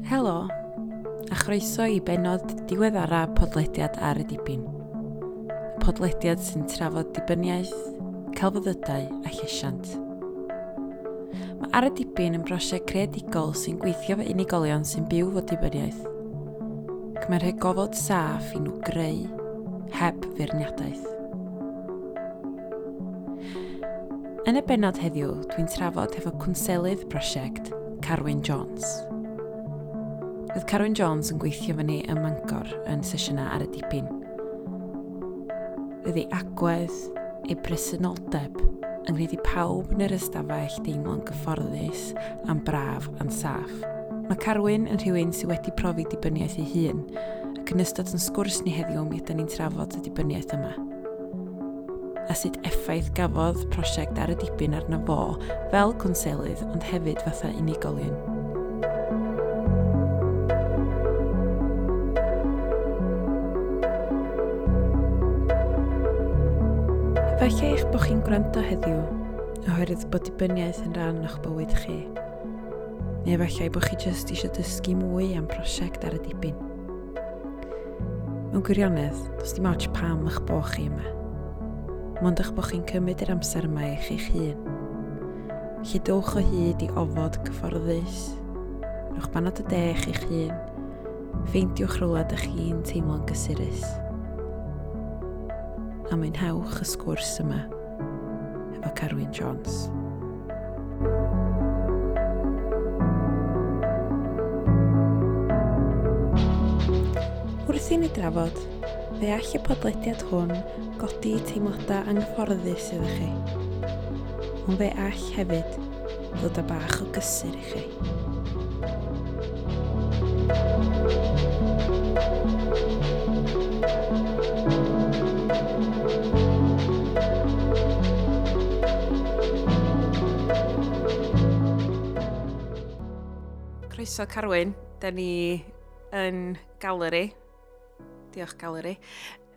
Helo, a chroeso i bennod diweddara podlediad Ar y Dibyn. Y podlediad sy'n trafod dibyniaeth, celfyddydau a llesiant. Mae Ar y Dibyn yn brosiect creadigol sy'n gweithio fo unigolion sy'n byw fo dibyniaeth, ac mae'n rhoi gofod saff i nhw greu heb feirniadaeth. Yn y bennod heddiw, dwi'n trafod hefo cwnselydd prosiect, Carwyn Jones. Roedd Carwyn Jones yn gweithio fyny ym Mangor yn sesiynau Ar y Dibyn. Roedd ei agwedd, ei presenoldeb, yn gwneud i pawb yn yr ystafell deimlo'n gyfforddus a'n braf a'n saff. Mae Carwyn yn rhywun sydd wedi profi dibyniaeth ei hun, ac yn ystod yn sgwrs ni heddiw mi ydan ni'n trafod y dibyniaeth yma. A sut effaith gafodd prosiect Ar y Dibyn arno fo fel cwnselydd ond hefyd fatha unigolyn. Efallai eich bod chi'n gwrando heddiw oherwydd bod dibyniaeth yn rhan o'ch bywyd chi. Neu efallai bod chi jyst eisiau dysgu mwy am prosiect Ar y Dibyn. Mewn gwirionedd, does dim ots pam eich bod chi yma. Mond eich bod chi'n cymryd yr amser yma i chi'ch hun. Felly dowch o hyd i ofod cyfforddus, rhowch banad o de i chi'ch hun, ffeindiwch rhywle dych chi'n teimlo'n gysurus. A mwynhewch y sgwrs yma efo Carwyn Jones. Wrth i ni drafod, fe all y podlediad hwn godi teimladau anghyfforddus iddo chi. Ond fe all hefyd ddod â bach o gysur i chi. Croeso Carwyn, da ni yn Galeri. Diolch Galeri.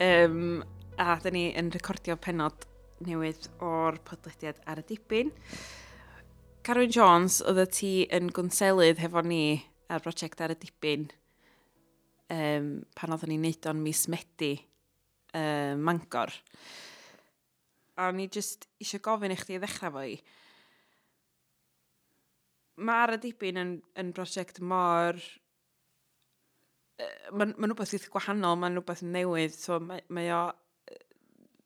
A da ni yn recordio pennod newydd o'r podlediad Ar y Dibyn. Carwyn Jones, oeddet ti yn gwnselydd hefo ni ar brosiect Ar y Dibyn pan oedden ni'n neud o'n mis Medi Mangor. A o'n i jyst eisiau gofyn i chdi i ddechrau fo i. Mae Ar y Dibyn yn brosiect mor... Mae'n rhywbeth eitha gwahanol, mae'n rhywbeth newydd, so mae o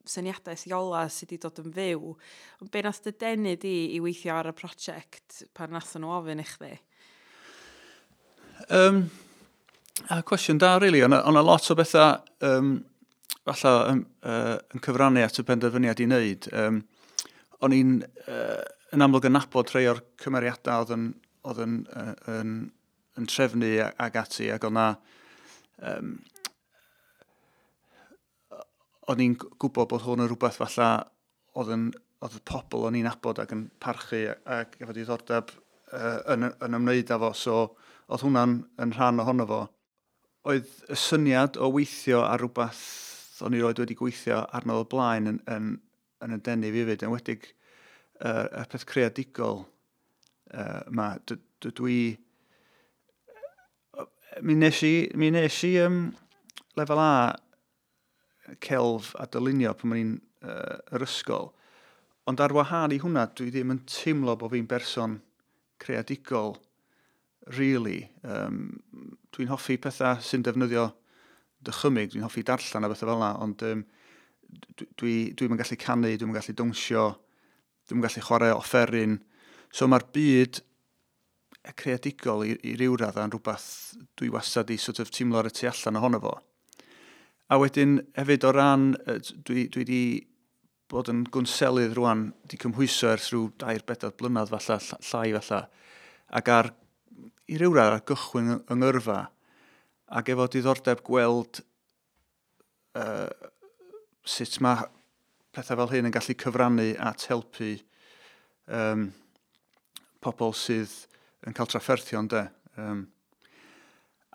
syniadaeth Iola sydd wedi dod yn fyw. Ond be nath dy denu di i weithio ar y prosiect pan nath nhw ofyn i chdi? A cwestiwn da, really. O'na lot o bethau falle yn cyfrannu at y penderfyniad i wneud. O'n i'n yn amlwg yn nabod rhai o'r cymeriadau oedd yn trefnu ag ati, ac o'na... O'n i'n gwybod bod hwn yn rhywbeth falle oedd y pobl o'n i'n nabod ac yn parchu ac efo diddordeb yn ymwneud â fo, so oedd hwnna'n yn rhan ohono fo. Oedd y syniad o weithio ar rhywbeth o'n i roed wedi gweithio arno o blaen yn y denu fi hefyd, enwedig y peth creadigol yma. Dwi... Mi nes i lefel A celf a dylunio pan o'n i'n yr ysgol. Ond ar wahân i hwnna, dwi ddim yn teimlo bod fi'n berson creadigol, really. Dwi'n hoffi pethau sy'n defnyddio dychymyg, dwi'n hoffi darllen a bethau fel yna, ond dwi'm yn gallu canu, dwi'm yn gallu dawnsio, dwi'm yn gallu chwarae offeryn. So mae'r byd creadigol i ryw raddau yn rhywbeth dwi wastad i sort of teimlo ar y tu allan ohono fo. A wedyn hefyd o ran, dwi wedi bod yn gwnselydd rwan, wedi cymhwyso ers rhyw 2-4 blynedd falle, llai falle, ac ar, i ryw radd ar gychwyn yng ngyrfa, ac efo diddordeb gweld sut mae pethau fel hyn yn gallu cyfrannu at helpu pobl sydd yn cael trafferthion, de.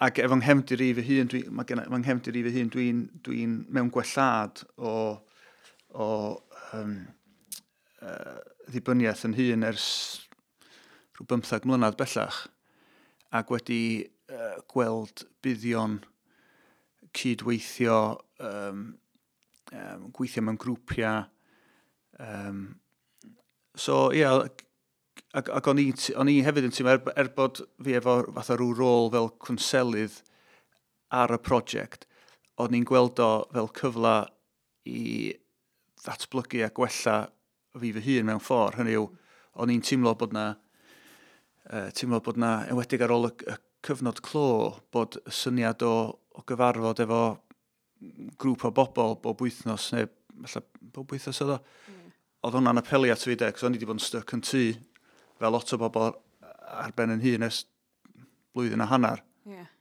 Ac efo nghefndir i fy hun, mae nghefndir i fy hun, dwi'n mewn gwellhad o ddibyniaeth yn hun ers rhyw 15 mlynedd bellach, ac wedi gweld buddion cydweithio, gweithio mewn grwpiau. So, ie, yeah, ac o'n i hefyd yn teimlo, er bod fi efo fatha rhyw rôl fel cwnselydd ar y prosiect, o'n i'n gweld o fel cyfle i ddatblygu a gwella fi fy hun mewn ffordd. Hynny yw, o'n i'n teimlo bod na, enwedig ar ôl y cyfnod clo, bod y syniad o gyfarfod efo grŵp o bobl bob wythnos, neu falle bob wythnos oedd o, oedd hwnna'n apelio at fi de, cos o'n i wedi bod yn stuck yn tŷ, fel lot o bobl ar ben yn hun ers blwyddyn a hanner.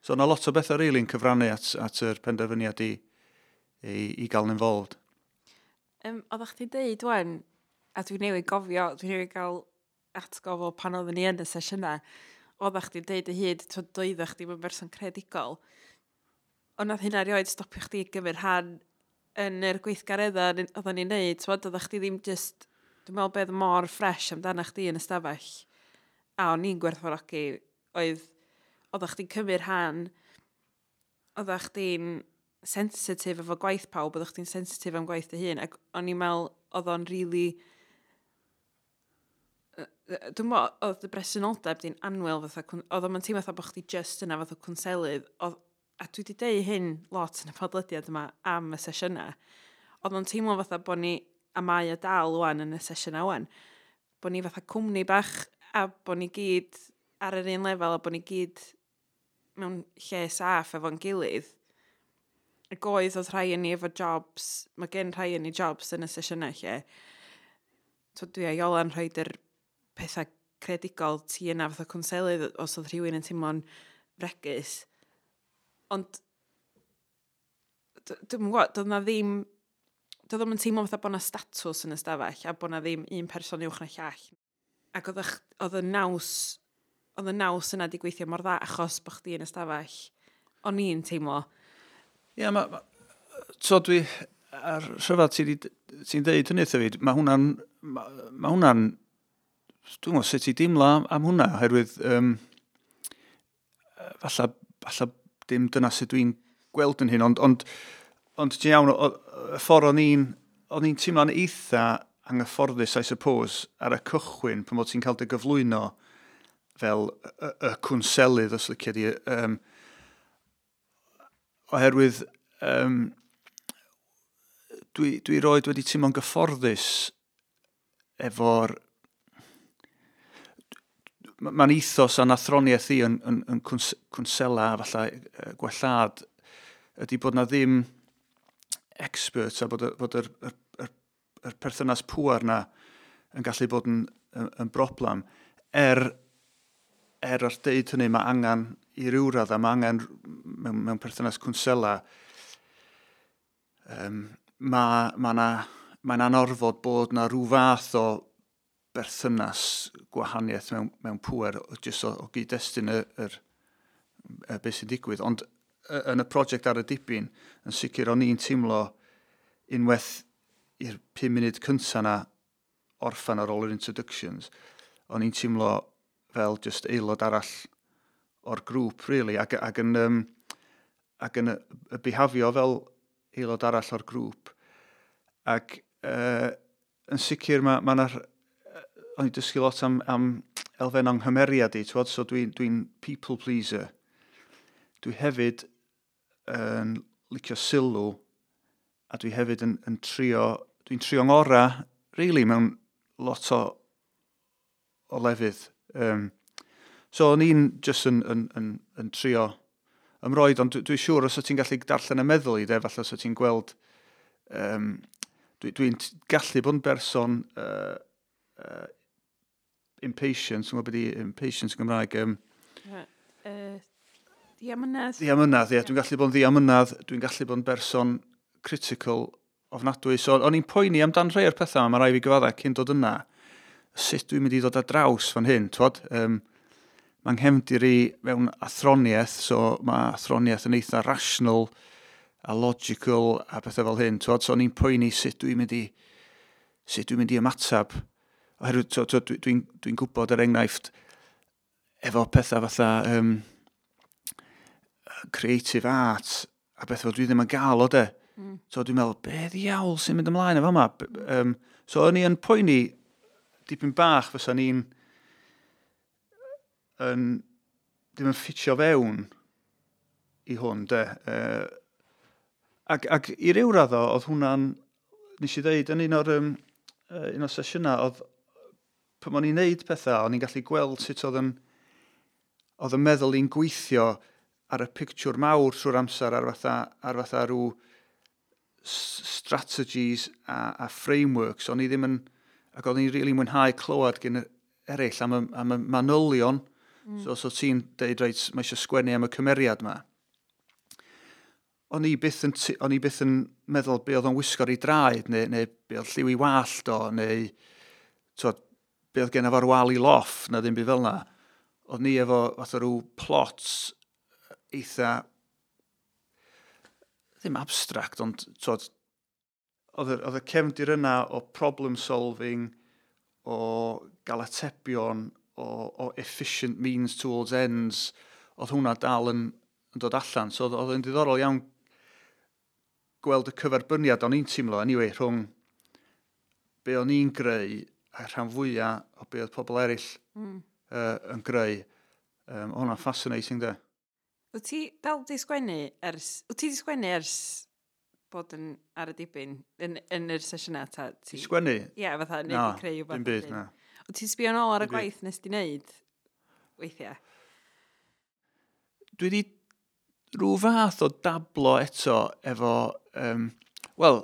So yna lot o bethau really'n cyfrannu at yr penderfyniad i gael yn involved. Oeddech chdi deud wan, a dwi'n newydd gofio, dwi'n newydd gael atgof o pan oeddwn ni yn y sesiynau, oeddech chdi'n deud y hyd, twyd doeddech chdi yn berson creadigol. Ond nath hynna erioed stopio chdi gymryd rhan yn yr gweithgareddau oedden ni'n neud, twyd, oeddech chdi ddim just, dwi'n meddwl beth mor ffres amdano chdi yn y stafell, a o'n i'n gwerthfawrogi, oedd, oeddech chdi'n cymryd rhan, oeddech chdi'n sensitif efo gwaith pawb, oeddech chdi'n sensitif am gwaith dy hun, ac o'n i'n meddwl oedd o'n really... Dwi'n meddwl, oedd dy bresenoldeb di'n annwyl, fatha, oedd o'n teimlo fatha bod chdi just yna fatha cwnselydd, oedd, a dwi wedi deud hyn lot yn y podlediad yma am y sesiynau, oedd o'n teimlo fatha bod ni, a mae o dal wan yn y sesiynau wan, bod ni fatha cwmni bach a bod ni gyd ar yr un lefel a bod ni gyd mewn lle saff efo'n gilydd. Ac oedd rhai yn ni efo jobs, mae gen rhai yn ni jobs yn y sesiynau lle. So dwi a Iola'n rhoi yr pethau creadigol ti yna fatha cwnselydd os oedd rhywun yn teimlo'n fregus. Ond dwi'm yn gwybod, doedd na ddim, doedd o'm yn teimlo fatha bod na statws yn y stafell a bod na ddim un person uwch na llall. Ac oedd y naws yna di gweithio mor dda achos bod chdi yn y stafell. O'n i'n teimlo. Ie, yeah, so dwi, ar rhyfedd ti'n deud hynny wrtho fi, mae hwnna'n, dwi'n gwybod sut i deimlo am hwnna, oherwydd falle dim dyna sut dwi'n gweld yn hyn, ond ti'n iawn, y ffordd o'n i'n teimlo'n eitha anghyfforddus, I suppose, ar y cychwyn, pan bod ti'n cael dy gyflwyno fel y cwnselydd, os licio di, oherwydd dwi roed wedi teimlo'n gyfforddus efo'r... Mae'n ethos a'n athroniaeth i yn cwnsela, falle gwellhad, ydy bod na ddim experts a bod yr perthynas pŵar na yn gallu bod yn broblem. Er ar deud hynny, mae angen i ryw radd a mae angen mewn perthynas cwnsela, mae'n anorfod bod na rhyw fath o berthynas gwahaniaeth mewn pŵer, jyst o gyd-destun y beth sy'n digwydd. Ond yn y prosiect Ar y Dibyn, yn sicr o'n i'n teimlo unwaith i'r 5 munud cynta na orffan ar ôl yr introductions, o'n i'n teimlo fel just aelod arall o'r grŵp, really, ac yn y bihafio fel aelod arall o'r grŵp. Ac yn sicr mae 'na, o'n i'n dysgu lot am elfen o'n nghymeriad i, t'wod, so dwi people pleaser. Dwi hefyd yn licio sylw a dwi hefyd yn trio, dwi'n trio ngora, really, mewn lot o lefydd. So o'n i'n just yn trio ymroid, ond dwi siŵr os ti'n gallu darllen y meddwl i, de, falle os ti'n gweld, dwi gallu bod yn berson impatient, dwi'n gwybod beth i impatient yn Gymraeg. Diamynedd. Diamynedd, ie. Dwi'n gallu bod yn ddiamynedd, dwi'n gallu bod yn berson critical ofnadwy. So, o'n i'n poeni amdan rhai o'r pethau, mae rhaid fi gyfadda cyn dod yna. Sut dwi'n mynd i ddod ar draws fan hyn, twod? Mae'n nghefndir i mewn athroniaeth, so mae athroniaeth yn eitha rational a logical a pethau fel hyn, twod? So o'n i'n poeni sut dwi'n mynd i ymateb. Oherwydd, so, dwi gwybod er enghraifft efo pethau fatha Creative art a beth fel dwi ddim yn gael o de. So dwi'n meddwl, be ddiawl sy'n mynd ymlaen efo yma? So o'n i yn poeni dipyn bach fysa ni'n yn, ddim yn ffitio fewn i hwn, de. Ac i ryw raddo, oedd hwnna'n, nes i ddeud, yn un o'r sesiynau, oedd, pan o'n i'n neud pethau, o'n i'n gallu gweld sut oedd yn meddwl i'n gweithio ar y pictiwr mawr trwy'r amser ar fatha rhyw strategies a frameworks. O'n i ddim yn, ac o'n i'n really mwynhau clywed gen eraill am y manylion. So ti'n deud, reit, mae eisiau sgwennu am y cymeriad yma. O'n i byth yn meddwl be oedd o'n wisgo ar ei draed, neu be oedd lliw i wallt o, neu t'wod, be oedd gen efo'r wal i loff, na ddim byd fel na. Oedd ni efo fatha rhyw plots eitha, ddim abstract, ond t'wod, oedd y cefndir yna o problem solving, o gael atebion, o efficient means towards ends, oedd hwnna dal yn dod allan. So oedd yn diddorol iawn gweld y cyferbyniad o'n i'n teimlo, anyway, rhwng be o'n i'n greu a rhan fwyaf o be oedd pobl eraill yn greu. Hwnna'n fascinating, de. Wyt ti dal di sgwennu ers... Wyt ti di sgwennu ers bod yn ar y dibyn yn yr sesiynau ta? Ti... Sgwennu? Ie, yeah, fatha, neu Na, di creu dim byd, na. Wyt ti'n sbio nôl ar y Dim byd. gwaith nes di wneud weithiau? Dwi wedi rhyw fath o dablo eto efo... Wel,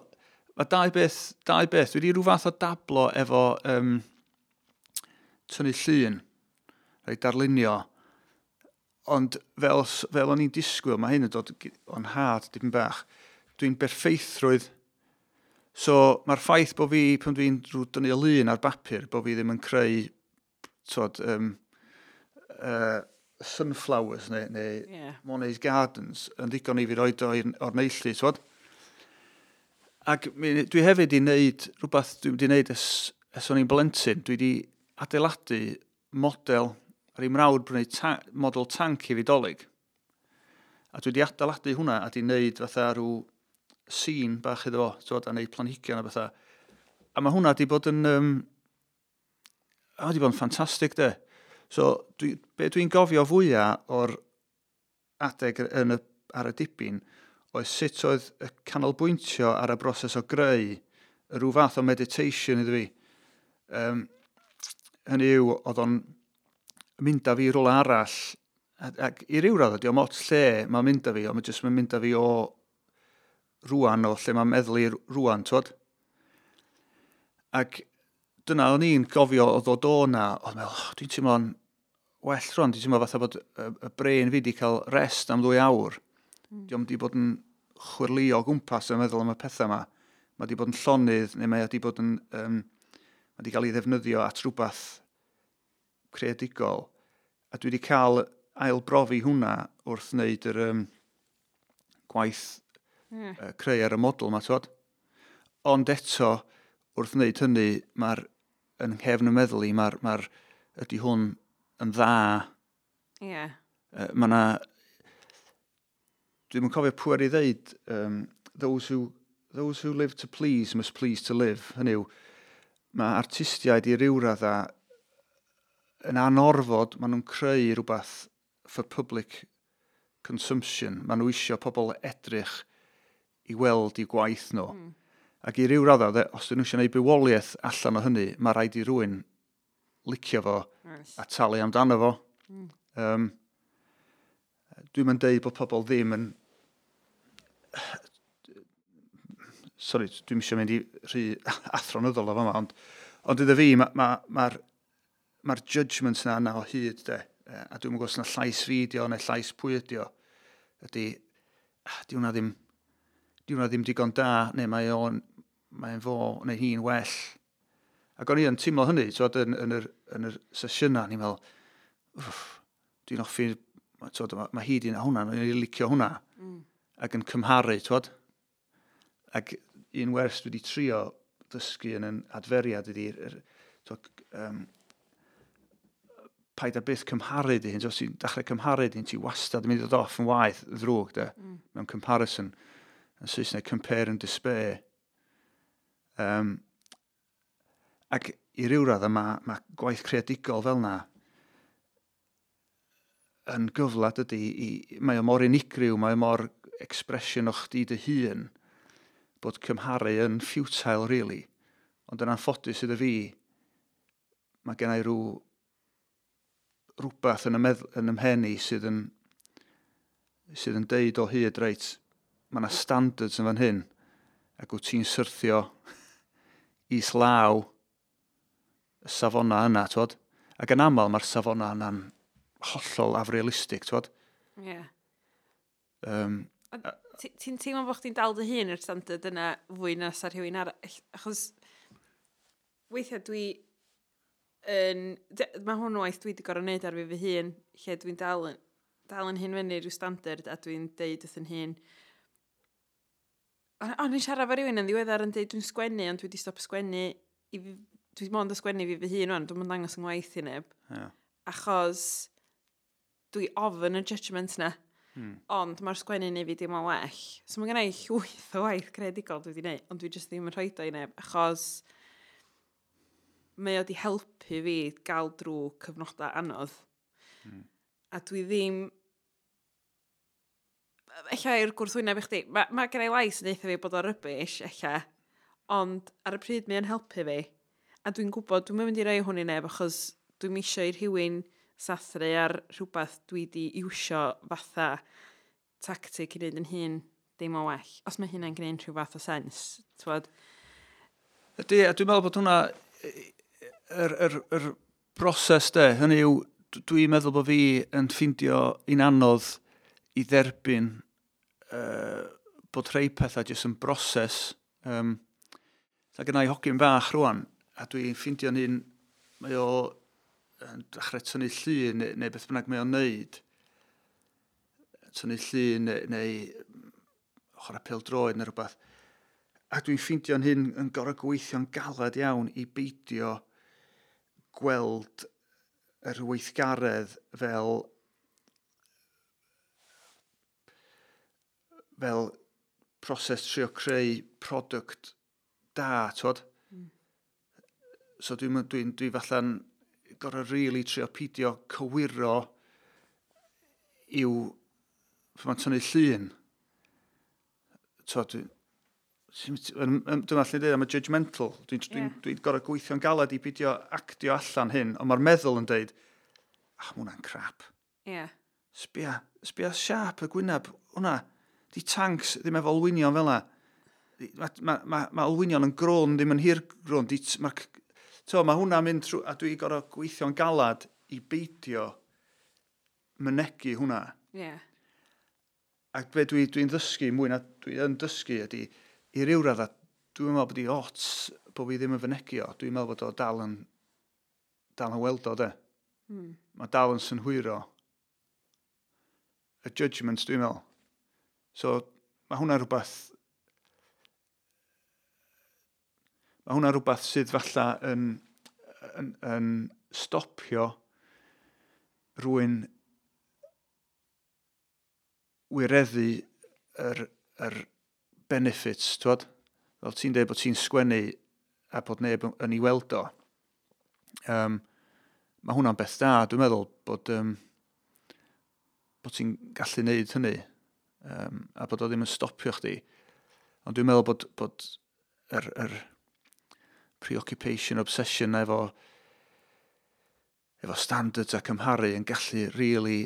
mae dau beth, dau beth. Dwi wedi rhyw fath o dablo efo tynnu llun, rhaid darlunio. Ond fel o'n i'n disgwyl, mae hyn yn dod o'n had dipyn bach, dwi'n berffeithrwydd. So mae'r ffaith bod fi, pan dwi'n rhyw dynnu y lun ar bapur, bod fi ddim yn creu t'wod, sunflowers neu Monet's Gardens yn ddigon i fi roed o'r neilltu, t'wod? Ac dwi hefyd i wneud rhywbeth dwi wedi wneud ers o'n i'n blentyn. Dwi wedi adeiladu model, ar ei mrawd brynu model tank i fi Dolig. A dwi wedi adeiladu hwnna a di wneud fatha rhyw scene bach iddo fo, t'wod, a wneud planhigion a bethau. A mae hwnna di bod yn... A wedi bod yn ffantastig, de. So, be dwi'n gofio fwyaf o'r adeg ar y dibyn oedd sut oedd y canolbwyntio ar y broses o greu y rhyw fath o meditation iddo fi. Hynny yw, oedd o'n mynd â fi i rywle arall, ac i ryw raddau, dio'm ots lle mae'n mynd â fi, ond mae jyst mae'n mynd â fi o rwan, o lle mae'n meddwl i rwan, t'wod? Ac dyna o'n i'n gofio o ddod o na, oedd meddwl, oh, dwi'n teimlo'n well rwan, dwi'n teimlo fatha bod y brain fi wedi cael rest am 2 awr. Dio'm wedi bod yn chwyrlïo o gwmpas yn meddwl am y pethau yma. Mae wedi bod yn llonydd, neu mae wedi bod yn... mae wedi cael ei ddefnyddio at rhywbeth creadigol. A dwi wedi cael ailbrofi hwnna wrth wneud yr gwaith creu ar y model yma, t'wod? Ond eto, wrth wneud hynny, mae'r yn nghefn y meddwl i, mae'r ydy hwn yn dda. Mae na... Dwi'm yn cofio pwy ar ei ddeud, those who live to please must please to live. Hynny yw, mae artistiaid i ryw radda yn anorfod, maen nhw'n creu rhywbeth for public consumption. Maen nhw isio pobl edrych i weld i gwaith nhw. Ac i ryw radda, os dyn nhw eisiau gwneud bywoliaeth allan o hynny, mae rhaid i rywun licio fo a talu amdano fo. Dwi'n mynd deud bod pobl ddim yn... Sorry, dwi'n eisiau mynd i rhy athronyddol o fama, ond iddo fi, mae'r ma judgment yna o hyd, de. A dwi'n gwybod os na llais fi ydi o neu llais pwy ydi o. Ydy, ah, di hwnna ddim digon da, neu mae'n fo neu hi'n well. Ac o'n i yn teimlo hynny, t'wod, yn yr sesiynau, ni'n meddwl, "Wff, dwi'n hoffi, t'wod, mae hi di na hwnna, o'n i'n licio hwnna," ac yn cymharu, t'wod. Ac un wers dwi wedi trio dysgu yn adferiad ydy, t'wod, Paid â byth cymharu dy hun. So, os ti'n dechrau cymharu dy hun, ti wastad yn mynd i ddod off yn waeth ddrwg, de. Mewn comparison. Yn Saesneg, compare and despair. Ac i ryw raddau mae gwaith creadigol fel na yn gyfle, dydy, mae o mor unigryw, mae o mor expression o chdi dy hun, bod cymharu yn futile, really. Ond yn anffodus iddo fi, mae gen i rhywbeth yn y mhen i sydd yn deud o hyd, reit, mae yna standards yn fan hyn, ac wyt ti'n syrthio islaw y safonau yna, twod? Ac yn aml mae'r safonau yna'n hollol afrealistig, twod? Ie. Yeah. Ti'n teimlo bod chdi'n dal dy hun i'r standard yna fwy na sa rhywun arall? Achos weithiau dwi yn... Mae hwn waith dwi wedi gorfod wneud ar fi fy hun, lle dwi'n dal yn hun fyny rhyw standard a dwi'n deud wrth yn hun. O'n i'n siarad efo rhywun yn ddiweddar yn deud dwi'n sgwennu, ond dwi wedi stop sgwennu i fi, dwi mond yn sgwennu fi fy hun wan, dwi'n mynd dangos yng ngwaith i neb. Achos dwi ofn y judgment na. Ond mae'r sgwennu neu fi dim ond well. So mae gen i llwyth o waith creadigol dwi wedi gwneud, ond dwi jyst ddim yn rhoi o i neb, achos mae o wedi helpu fi gael drwy cyfnodau anodd. A dwi ddim... Ella i'r gwrthwyneb i chdi, mae gen i lais yn deutha fi bod o rubbish, ella, ond ar y pryd mae o'n helpu fi. A dwi'n gwybod, dwi'n mynd i roi hwn i neb, achos dwi'n eisiau i rhywun sathru ar rhywbeth dwi wedi iwsio fatha tactic i wneud yn hun dim o well. Os mae hynna'n gwneud rhyw fath o sens, t'wod? Ydy, a dwi'n meddwl bod hwnna, yr broses de, hynny yw, dwi'n meddwl bod fi yn ffindio un anodd i dderbyn bod rhai pethau jyst yn broses. Ta gynna i hogyn bach rwan, a dwi'n ffindio'n hun, mae o yn dechrau tynnu llun neu beth bynnag mae o'n neud. Tynnu llun neu chwarae pêl-droed neu rhywbeth. A dwi'n ffeindio'n hun yn gorfod gweithio'n galed iawn i beidio gweld yr weithgaredd fel proses trio creu product da, twod? So dwi falla'n gorfod really trio peidio cywiro i'w pan mae'n tynnu llun. Twod, dwi'n allu dweud am y judgmental. Dwi'n dwi gorfod gweithio'n galed i beidio actio allan hyn, ond mae'r meddwl yn deud, "Ah, ma hwnna'n crap. Sbia siap y gwyneb, hwnna, di tanks ddim efo olwynion fel 'na. Ma olwynion yn grôn, ddim yn hir grôn. Ma hwnna'n mynd trwy, a dwi gorfod gweithio'n galad i beidio mynegu hwnna. Ac be dwi ddysgu mwy na dwi yn dysgu ydy, i ryw radda, dwi'n meddwl bod i ots bod fi ddim yn fynegi o. Dwi'n meddwl bod o dal yn weld o, de. Mae dal yn synhwyro y judgment, dwi'n meddwl. So, mae hwnna rhywbeth sydd falla yn stopio rhywun wireddu yr benefits, twod? Fel ti'n dweud bod ti'n sgwennu a bod neb yn ei weld o. Mae hwnna'n beth da, dwi'n meddwl, bod ti'n gallu neud hynny a bod o ddim yn stopio chdi. Ond dwi'n meddwl bod yr preoccupation, obsession efo standards a cymharu yn gallu really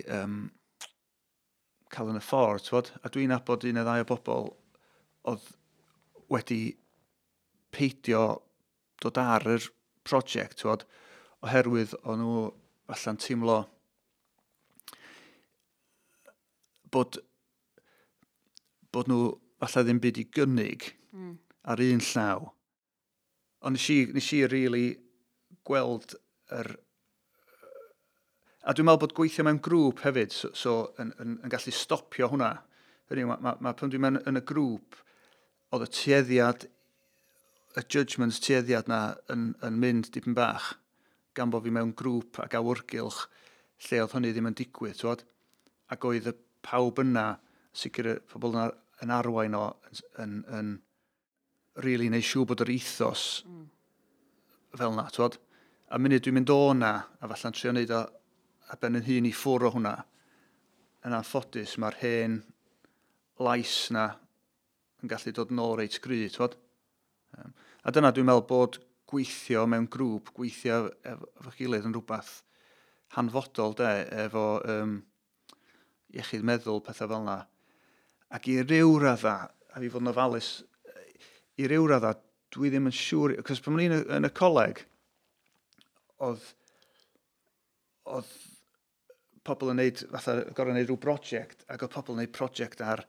cael yn y ffordd, t'wod? A dwi'n nabod un neu ddau o bobl oedd wedi peidio dod ar yr prosiect, t'wod, oherwydd o'n nhw falla'n teimlo bod nhw falle ddim byd i gynnig ar un llaw. Ond nes i really gweld yr... A dwi'n meddwl bod gweithio mewn grŵp hefyd, so yn gallu stopio hwnna. Hynny yw, ma pan dwi'n mewn yn y grŵp, oedd y tueddiad, y judgments tueddiad na yn mynd dipyn bach. gan bod fi mewn grŵp ac awyrgylch lle oedd hynny ddim yn digwydd, twod? Ac oedd y pawb yna, sicr y pobl yna yn arwain o, yn really neud siŵr bod yr ethos fel na, twod? A munud dwi'n mynd o na, a falla'n trio neud o a ben yn hun i ffwrdd o hwnna, yn anffodus mae'r hen lais na yn gallu dod nôl reit gry, twod? A dyna dwi'n meddwl bod gweithio mewn grŵp, gweithio efo gilydd yn rhywbeth hanfodol de, efo iechyd meddwl, pethau fel yna. Ac i ryw radda, a fi fod yn ofalus, i ryw radda, dwi ddim yn siŵr, cos pan o'n i'n yn y coleg, oedd pobl yn neud, fatha, gorau neud rhyw brosiect, ac oedd pobl yn neud prosiect ar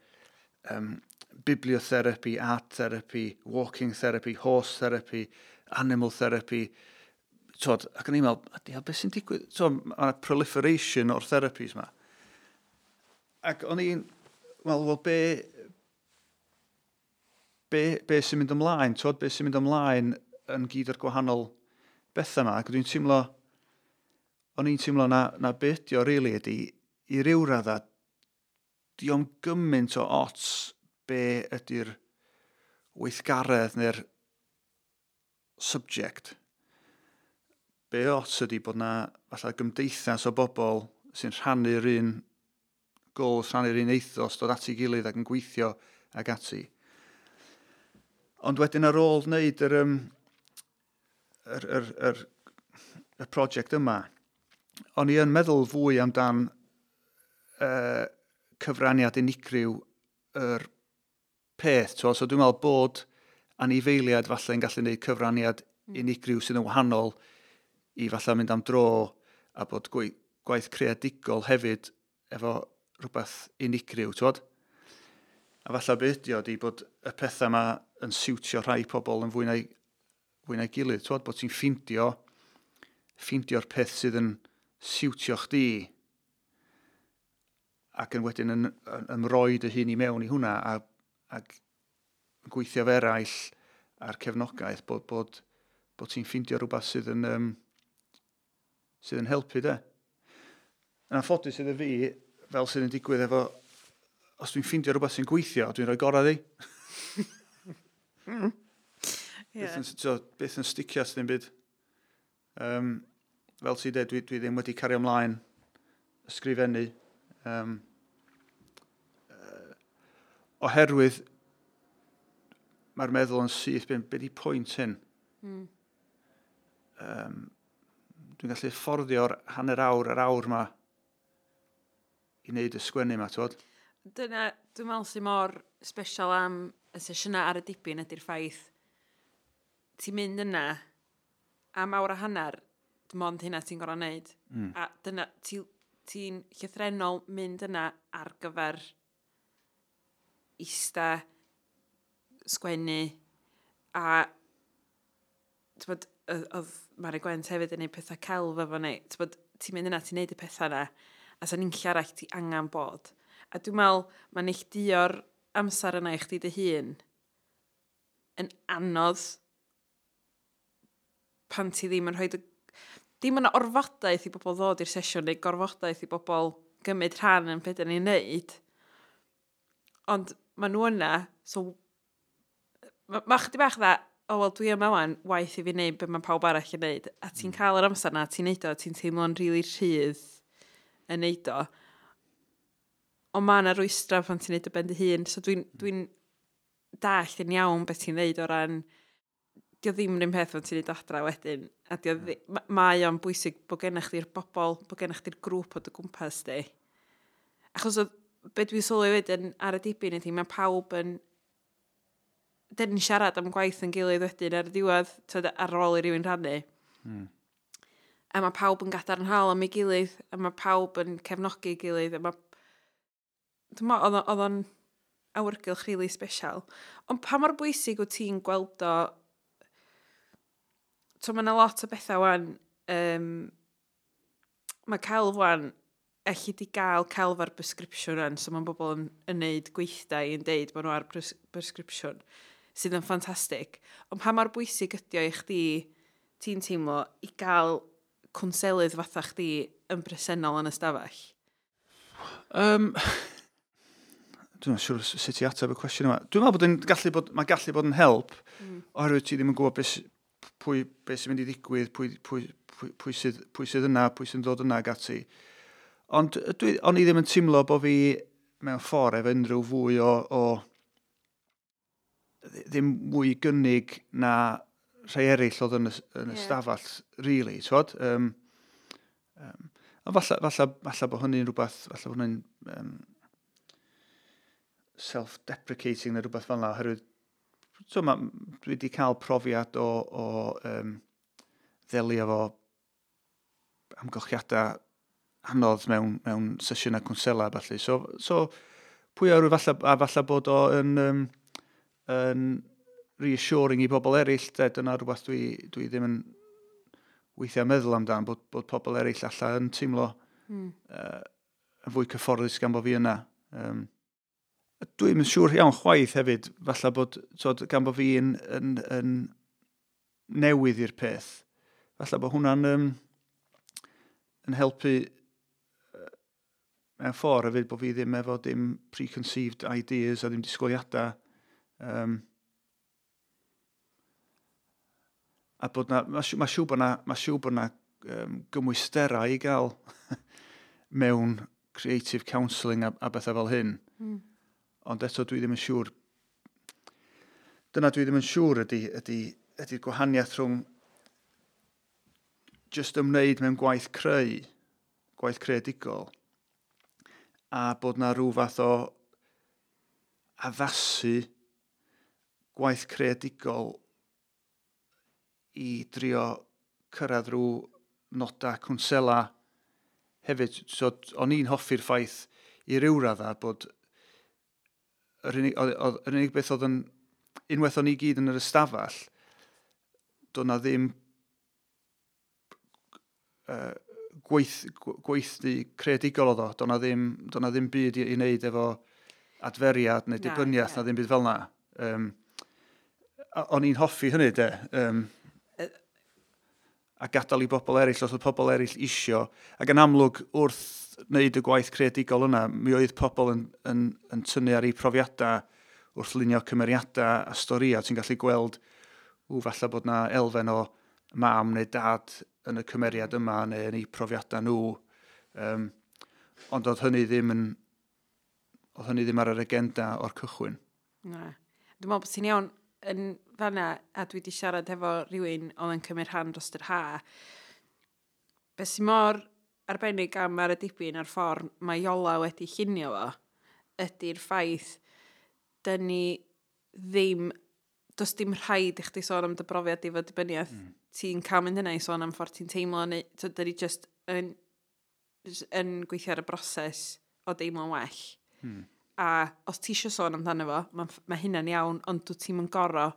bibliotherapy, art therapy, walking therapy, horse therapy, animal therapy, twod, ac o'n i'n meddwl, "Ydi, beth sy'n digwydd?" Twod, mae yna proliferation o'r therapies ma. Ac o'n i'n meddwl, wel, be sy'n mynd ymlaen, twod, be sy'n mynd ymlaen yn gyd o'r gwahanol bethau yma, ac dwi'n teimlo, o'n i'n teimlo na be ydi o really ydi, i ryw radda, dio'm gymaint o ots be ydy'r weithgaredd neu'r subject. Be ots ydy bod na falle gymdeithas o bobl sy'n rhannu'r un goals, rhannu'r un ethos, dod at ei gilydd ac yn gweithio ac ati. Ond wedyn ar ôl wneud yr prosiect yma, o'n i yn meddwl fwy amdan cyfraniad unigryw yr peth. So dwi'n meddwl bod anifeiliad falle yn gallu gwneud cyfraniad unigryw sydd yn wahanol i falle mynd am dro a bod gwaith creadigol hefyd efo rhywbeth unigryw, twod? A falle be ydi o ydi bod y pethau yma yn siwtio rhai pobl yn fwy na'i gilydd, twod? Bod ti'n ffindio'r peth sydd yn siwtio chdi ac yn wedyn yn ymroi dy hun i mewn i hwnna ac gweithio efo eraill a'r cefnogaeth bod ti'n ffindio rhywbeth sydd yn helpu de. Yn anffodus iddo fi, fel sydd yn digwydd efo, os dwi'n ffindio rhywbeth sy'n gweithio, dwi'n rhoi gorau iddi. So, byth yn sticio at ddim byd. Fel ti'n dweud, dwi ddim wedi cario ymlaen ysgrifennu. Oherwydd mae'r meddwl yn syth, be di pwynt hyn? Dwi'n gallu fforddio'r hanner awr yr awr ma i wneud y sgwennu ma, twod? Dyna, dwi'n meddwl sy'n mor special am y sesiynau ar y dibyn ydy'r ffaith ti'n mynd yna am awr a hanner, dim ond hynna ti'n gorfod wneud. A dyna, ti'n llythrennol mynd yna ar gyfer ista, sgwennu, a t'bod, oedd Mari Gwent hefyd yn gwneud pethau celf efo ni. T'bod, ti'n mynd yna, ti'n neud y pethau yna, a sa'n unlle arall ti angen bod. A dwi'n meddwl, mae neilltuo'r amser yna i chdi dy hun yn anodd pan ti ddim yn rhoi... Dim yna orfodaeth i bobl ddod i'r sesiwn neu gorfodaeth i bobl gymryd rhan yn beth ni'n neud. Ond maen nhw yna, so ma chydig bach dda, o wel dwi yma wan, waith i fi wneud be mae pawb arall yn neud. A ti'n cael yr amser na, ti'n neud o, ti'n teimlo'n rili rhydd yn neud o. Ond mae yna rwystra pan ti'n neud o ben dy hun. So dwi dallt yn iawn beth ti'n neud o ran dio ddim yr un peth pan ti'n neud o adra wedyn. A dio mae o'n bwysig bod gennych chdi'r bobl, bod gennych chdi'r grŵp o dy gwmpas di. Achos oedd, be dwi'n sylwi wedyn ar y dibyn ydy, mae pawb yn dyn ni'n siarad am gwaith yn gilydd wedyn ar y diwedd, t'wod, ar ôl i rywun rhannu. A mae pawb yn gadarnhaol am ei gilydd, a mae pawb yn cefnogi ei gilydd, a mae... Dwi'n meddwl, oedd o'n awyrgylch really special. Ond pa mor bwysig wyt ti'n gweld o... So, mae yna lot o bethau wan. Mae celf wan, elli di gael celf ar prescription wan, so mae bobl yn neud gweithdai yn deud bod nhw ar prescription, sydd yn ffantastig. Ond pa mor bwysig ydi o i chdi, ti'n teimlo, i gael cwnselydd fatha chdi yn bresennol yn y stafell? Dwi'n siŵr sut i ateb y cwestiwn yma. Dwi'n meddwl bod yn gallu bod, mae gallu bod yn help, oherwydd ti ddim yn gwybod beth, pwy, beth sy'n mynd i ddigwydd, pwy sydd yna, pwy sy'n dod yna ag ati. Ond o'n i ddim yn teimlo bod fi mewn ffordd efo unrhyw fwy o ddim mwy gynnig na rhai eraill oedd yn y stafell, really, t'wod? Ond falle bod hynny'n rhywbeth, falle bod hynny'n self-deprecating neu rhywbeth fel yna, oherwydd so, dwi wedi cael profiad o ddelio efo amgylchiadau anodd mewn sesiynau cwnsela a ballu. So pwy a ŵyr, falle, a falle bod o yn reassuring i bobl eraill, de, dyna rhywbeth dwi ddim yn weithiau meddwl amdan, bod pobl eraill allan yn teimlo yn fwy cyfforddus gan bod fi yna. Dwi'n yn siŵr iawn chwaith hefyd, falle bod, tod, gan bod fi yn newydd i'r peth, falle bod hwnna'n yn helpu mewn ffordd hefyd bod fi ddim efo dim preconceived ideas a ddim disgwyliadau. A bod na, ma siŵr bod na, ma siŵr bod na gymwysterau i gael mewn creative counselling a bethau fel hyn. Ond eto dwi ddim yn siŵr. Dyna dwi ddim yn siŵr ydy'r gwahaniaeth rhwng just ymwneud mewn gwaith creu, gwaith creadigol, a bod na rhyw fath o addasu gwaith creadigol i drio cyrraedd rhyw nodau cwnsela hefyd. So, o'n i'n hoffi'r ffaith i ryw raddau bod yr unig beth oedd yn, unwaith o'n i gyd yn yr ystafell, doedd na ddim gweithdy creadigol oedd o. Doedd na ddim byd i wneud efo adferiad neu dibyniaeth na ddim byd fel na. O'n i'n hoffi hynny, de. A gadael i bobl eraill, os oedd pobl eraill isio. Ac yn amlwg, wrth wneud y gwaith creadigol yna, mi oedd pobl yn tynnu ar eu profiadau wrth lunio cymeriadau a storïau. Ti'n gallu gweld, ww, falle bod na elfen o mam neu dad yn y cymeriad yma neu yn eu profiadau nhw. Ond oedd hynny ddim ar yr agenda o'r cychwyn. Na. Dwi'n meddwl bod ti'n iawn yn fanna, a dwi wedi siarad efo rhywun oedd yn cymryd rhan dros yr ha. Be sy'n mor arbennig am Ar y Dibyn a'r ffordd mae Iola wedi llunio fo, ydy'r ffaith dyn ni ddim, does dim rhaid i chdi sôn am dy brofiad i fod dibyniaeth. Ti'n cael mynd yna i sôn am ffordd ti'n teimlo, neu so, dyn ni just yn gweithio ar y broses o deimlo'n well. A os ti eisiau sôn amdano fo, mae hynna'n iawn, ond dwi ti'n mynd goro.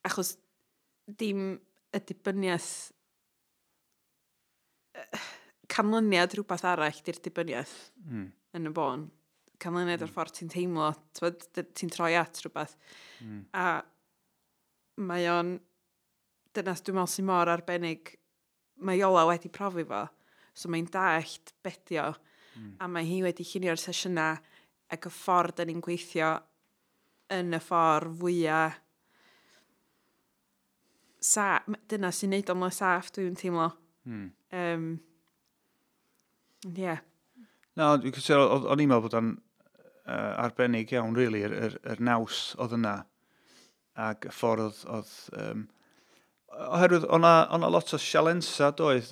Achos dim y dibyniaeth, canlyniad rhywbeth arall di'r dibyniaeth yn y bôn. Canlyniad o'r ffordd ti'n teimlo, t'mod, ti'n troi at rhywbeth. A mae o'n, dyna dwi'n meddwl sy'n mor arbennig, mae Iola wedi profi fo, so mae'n dallt bedio, a mae hi wedi llunio'r sesiynau ac y ffordd da ni'n gweithio yn y ffordd fwyaf dyna sy'n neud o'n mor saff, dwi'n teimlo. Yeah. Na, dwi'n cytuno, o'n i'n meddwl bod o'n arbennig iawn, really, yr naws oedd yna, ac y ffordd oedd, oherwydd o'na lot o sialensa, doedd,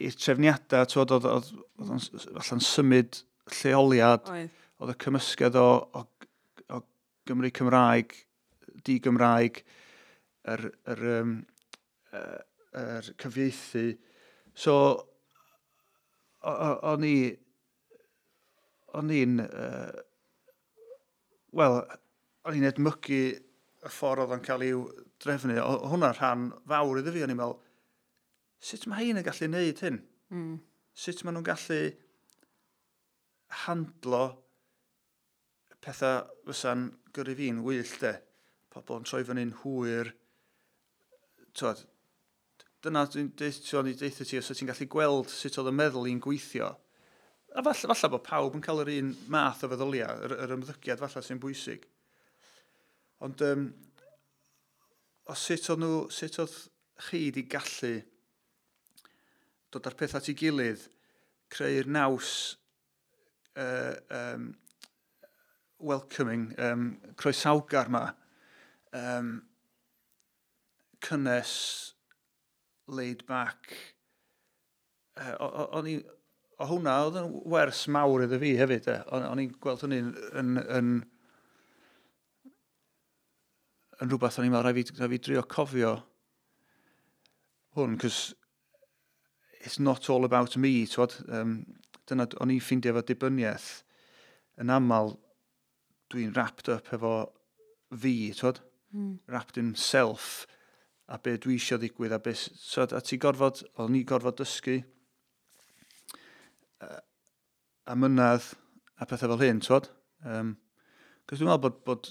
i'r trefniadau, t'wod, oedd o'n falle'n symud lleoliad, oedd y cymysgedd o Gymru Cymraeg, di-Gymraeg, yr cyfieithu. So, o'n i'n, wel, o'n i'n edmygu y ffordd oedd o'n cael i'w drefnu. O hwnna'n rhan fawr iddo fi, o'n i'n meddwl, sut mae hein yn gallu neud hyn? Sut maen nhw'n gallu handlo pethau fysa'n gyrru fi'n wyllt, de? Pobl yn troi fyny'n hwyr, Twod, dyna dwi'n deutha ti, os ti'n gallu gweld sut oedd y meddwl i'n gweithio. A falle bod pawb yn cael yr un math o feddyliau, yr ymddygiad falle sy'n bwysig. Ond o sut oedd nhw, sut oedd chi wedi gallu dod â'r peth at ei gilydd, creu'r naws welcoming, croesawgar ma, cynnes, laid back. O hwnna oedd yn wers mawr iddo fi hefyd. O'n i'n gweld hynny'n yn rhywbeth o'n i'n meddwl, rhaid fi drio cofio hwn, cos it's not all about me, twod. Dyna, o'n i'n ffeindio efo dibyniaeth, yn aml dwi'n wrapped up efo fi, twod. Wrapped in self, a be dwi eisiau ddigwydd, a be, so, a ti gorfod, o'n i gorfod dysgu a mynadd a pethau fel hyn, twod. Cos dwi'n meddwl bod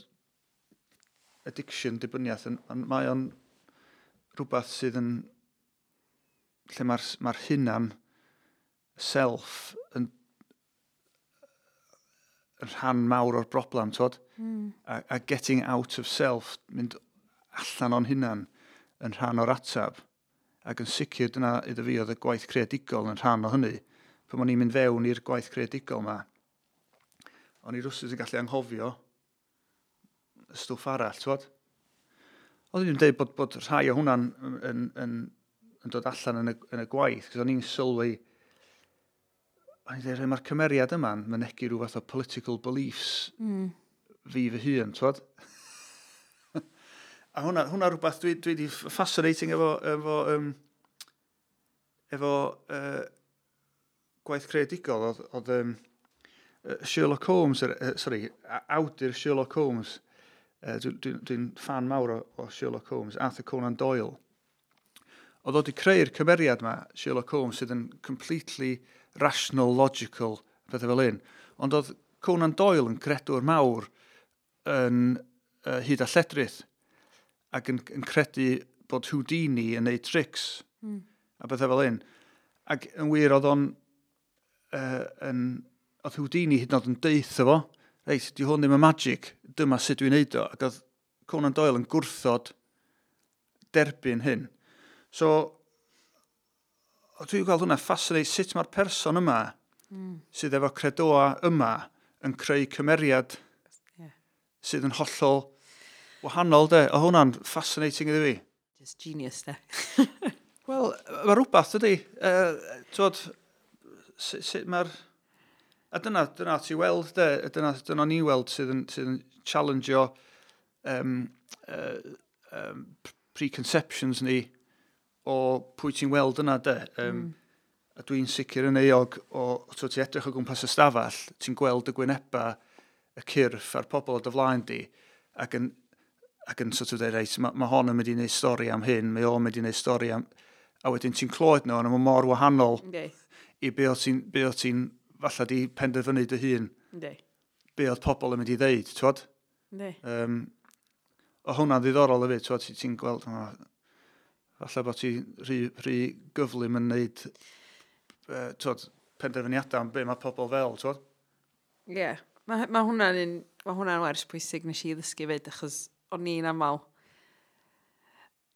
addiction, dibyniaeth, mae o'n rhywbeth sydd yn lle mae'r hunan, self, yn rhan mawr o'r broblem, twod? A getting out of self, mynd allan o'n hunan, yn rhan o'r atab. Ac yn sicr dyna iddo fi oedd y gwaith creadigol yn rhan o hynny. Pan o'n i'n mynd fewn i'r gwaith creadigol ma, o'n i rwsut yn gallu anghofio y stwff arall, twod? Oedd i'n dweud bod rhai o hwnna'n yn dod allan yn y gwaith, cos o'n i'n sylwi, o'n i'n dweud, mae'r cymeriad yma'n mynegi rhyw fath o political beliefs fi fy hun, twod? A hwnna rhywbeth dwi wedi fascinating efo gwaith creadigol oedd Sherlock Holmes, sorry, awdur Sherlock Holmes, dwi'n fan mawr o Sherlock Holmes, Arthur Conan Doyle. Oedd o wedi creu'r cymeriad yma, Sherlock Holmes, sydd yn completely rational, logical, pethau fel un. Ond oedd Conan Doyle yn credwr mawr yn hyd a lledrith, ac yn credu bod Houdini yn neud tricks, a pethau fel un. Ac yn wir oedd o'n, oedd Houdini hyd yn oed yn deutha fo, reit, di hwn ddim yn magic, dyma sut dwi'n neud o. Ac oedd Conan Doyle yn gwrthod derbyn hyn. So, dwi'n gweld hwnna fascinate sut mae'r person yma sydd efo credoa yma yn creu cymeriad sydd yn hollol wahanol, de. O hwnna'n fascinating iddo fi. Just genius, de. Wel, mae rhywbeth, dydy. Twod, sut mae'r... A dyna ti weld, de. Dyna ni weld sydd yn challenge-o preconceptions ni o pwy ti'n weld yna, de. A dwi'n sicr yn euog o, ti edrych o gwmpas y stafell, ti'n gweld y gwyneba, y cyrff a'r pobl o dy flaen di, ac yn sort of dweud, reit, mae hon yn mynd i wneud stori am hyn, mae o'n mynd i wneud stori am... A wedyn ti'n clywed nhw, ond mae mor wahanol i be o ti'n falle di penderfynu dy hun. Be oedd pobl yn mynd i ddeud, twod? O hwnna'n ddiddorol hefyd, twod, ti'n gweld, falle bod ti rhy gyflym yn wneud twod, penderfyniadau am be mae pobl fel, twod? Ie, yeah. Mae hwnna'n wers pwysig nes i ddysgu fyd, achos o'n i'n aml.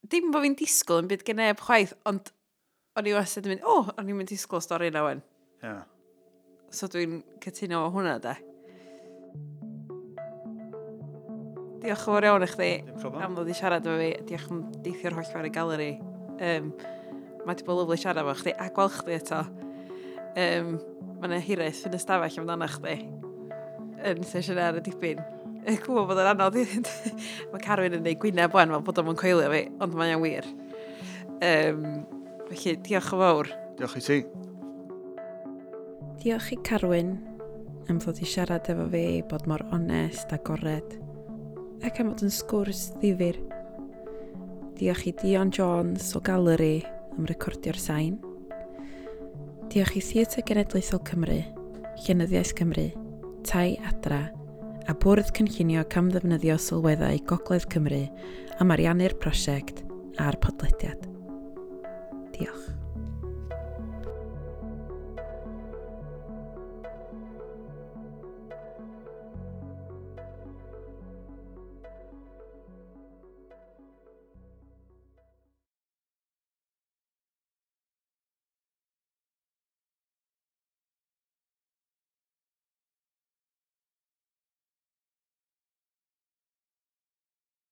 Dim bod fi'n disgwyl yn byd gen neb chwaith, ond o'n i wastad yn mynd, o'n i'n mynd disgwyl stori yna wen. Yeah. So dwi'n cytuno efo hwnna, de. Diolch yn fawr iawn i chdi am ddod i siarad efo fi. Diolch am deithio'r holl ffordd i galeri. Mae wedi bod lyfli siarad efo chdi a gweld chdi eto. Mae yna hiraeth yn y stafell amdano chdi yn sesiwn ar y dipyn. Gwybod bod yn anodd. Mae Carwyn yn neud gwyneb wan fel bod o'n coelio fi, ond mae'n wir. Felly, diolch yn fawr. Diolch i ti. Diolch i Carwyn am ddod i siarad efo fi, bod mor onest, agored, ac am fod yn sgwrs ddifyr. Diolch i Dion Jones o Galeri am recordio'r sain. Diolch i Theatr Genedlaethol Cymru, Llenyddiaeth Cymru, Tai Adra, a Bwrdd Cynllunio Camddefnyddio Sylweddau Gogledd Cymru am ariannu'r prosiect a'r podlediad. Diolch.